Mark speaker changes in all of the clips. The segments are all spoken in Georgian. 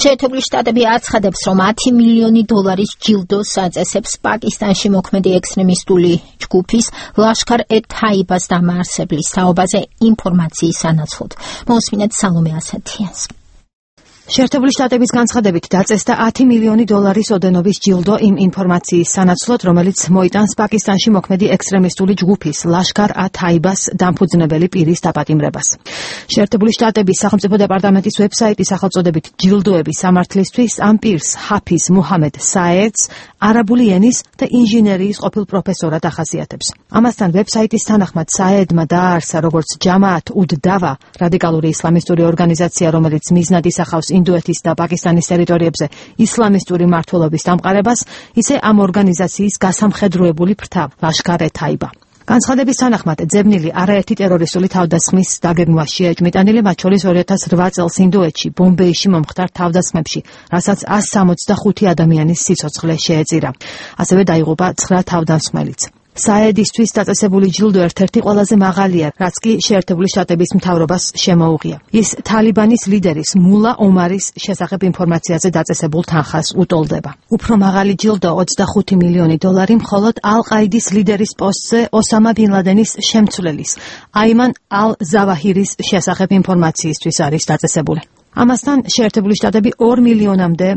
Speaker 1: შეერთებული შტატები აცხადებს, რომ $10 მილიონი ჯილდოს აწესებს პაკისტანში მოქმედი ექსტრემისტული ჯგუფის ლაშქარ-ე-თაიბას დამაარსებლის თაობაზე ინფორმაციის სანაცვლოდ. მოусმინეთ სალომე ასათიანს.
Speaker 2: შეერთებული შტატების განცხადებით დაწესდა $10 მილიონი ოდენობის ჯილდო იმ ინფორმაციის სანაცვლოდ, რომელიც მოიტანს პაკისტანში მოქმედი ექსტრემისტული ჯგუფის ლაშქარ-ე-თაიბას დამფუძნებელი პირის დაპატიმრებას. შეერთებული შტატების სახელმწიფო დეპარტამენტის ვებსაიტის სახელწოდებით ჯილდოების სამართლისთვის ამ პირს ჰაფიზ მუჰამედ საედს არაბული ენის და ინჟინერიის ყოფილ პროფესორად ახასიათებს. ამასთან ვებსაიტის თანახმად საედმა დააარსა როგორც ჯამაათ-უდ-დავა, რადიკალური ისლამისტური ორგანიზაცია, რომელიც მიზნად ისახავს ინდოეთის და პაკისტანის ტერიტორიებზე ისლამისტური მმართველობის დამყარებას, ისე ამ ორგანიზაციის გასამხედროებული ფრთა ლაშქარ-ე-თაიბა. განცხადების თანახმად ძებნილი არაერთი ტერორისტული თავდასხმის დაგეგმვაშია ეჭმიტანილი, მათ შორის 2008 წელს ინდოეთში, ბომბეიში მომხდარ თავდასხმებში, რასაც 165 ადამიანის სიცოცხლე შეეწირა. ასევე დაიღუპა 9 თავდამსხმელიც. საედისთვის დაწესებული ჯილდო ერთ-ერთი ყველაზე მაღალია, რაც კი შეერთებული შტატების მთავრობას შემოუღია. ის თალიბანის ლიდერის მულა ომარის შესახებ ინფორმაციაზე დაწესებულ თანხას უტოლდება. უფრო მაღალი ჯილდო $25 მილიონი მხოლოდ ალ-ყაიდის ლიდერის პოსტზე ოსამა ბინ ლადენის შემცვლელის, აიმან ალ-ზავაჰირის შესახებ ინფორმაციისთვის არის დაწესებული. ამასთან შეერთებული შტატები $2 მილიონამდე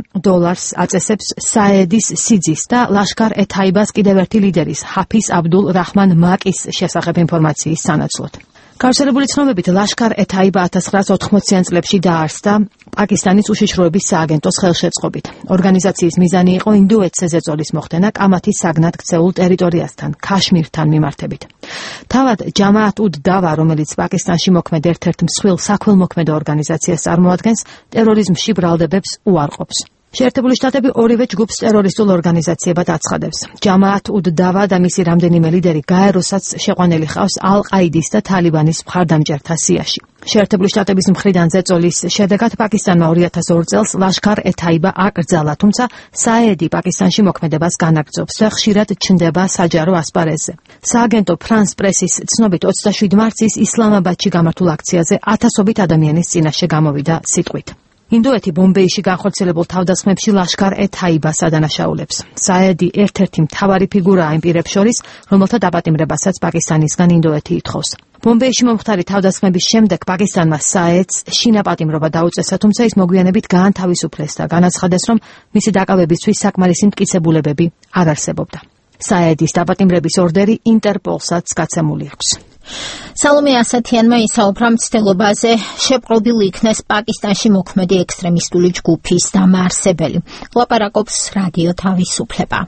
Speaker 2: აწესებს საედის სიძის და ლაშქარ-ე-თაიბას კიდევ ერთი ლიდერის ჰაფიზ აბდულ რაჰმან მაკის შესახებ ინფორმაციის სანაცვლოდ. გავრცელებული ცნობებით ლაშქარ-ე-თაიბა 1980-იან წლებში დაარსდა პაკისტანის უშიშროების სააგენტოს ხელშეწყობით. ორგანიზაციის მიზანი იყო ინდოეთზე ზეწოლის მოხდენა კამათის საგნად ქცეულ ტერიტორიასთან, ქაშმირთან მიმართებით. თავად ჯამაათ-უდ-დავა, რომელიც პაკისტანში მოქმედ ერთ-ერთ მსხვილ საქველმოქმედო ორგანიზაციას წარმოადგენს, ტერორიზმში ბრალდებებს უარყოფს. შეერთებული შტატები ორივე ჯგუფს ტერორისტულ ორგანიზაციებად აცხადებს. ჯამაათ-უდ-დავა და მისი რამდენიმე ლიდერი გაეროსაც შეყვანილი ხავს ალ-ყაიდის და თალიბანის მხარდამჭერთა სიაში. შეერთებული შტატების მხრიდან ზეწოლის შედეგად პაკისტანმა 2002 წელს ლაშქარ-ე-თაიბა აკრძალა, თუმცა საედი პაკისტანში მოქმედებას განაგრძობს და ხშირად ჩნდება საჯარო ასპარეზზე. სააგენტო ფრანს პრესის ცნობით 27 მარტის ისლამაბადში გამართულ აქციაზე ათასობით ადამიანის წინაშე გამოვიდა სიტყვით. ინდოეთი ბომბეიში განხორციელებულ თავდასხმებში ლაშქარ-ე-თაიბას ადანაშაულებს. საედი ერთ-ერთი მთავარი ფიგურაა იმ პირებს შორის, რომელთა დაპატიმრებასაც პაკისტანისგან ინდოეთი ითხოვს. ბომბეიში მომხდარი თავდასხმების შემდეგ პაკისტანმა საედს შინაპატიმრობა დაუწესა, თუმცა ის მოგვიანებით გაანთავისუფლეს და განაცხადეს, რომ მისი დაკავებისთვის საკმარისი მტკიცებულებები არ არსებობდა. საედის დაპატიმრების ორდერი ინტერპოლსაც გაცემული აქვს.
Speaker 1: სალომე ასათიანმა ისაუბრა მცდელობაზე შეპყრობილ იქნეს პაკისტანში მოქმედი ექსტრემისტული ჯგუფის დამაარსებელი. ლაპარაკობს რადიო თავისუფლება.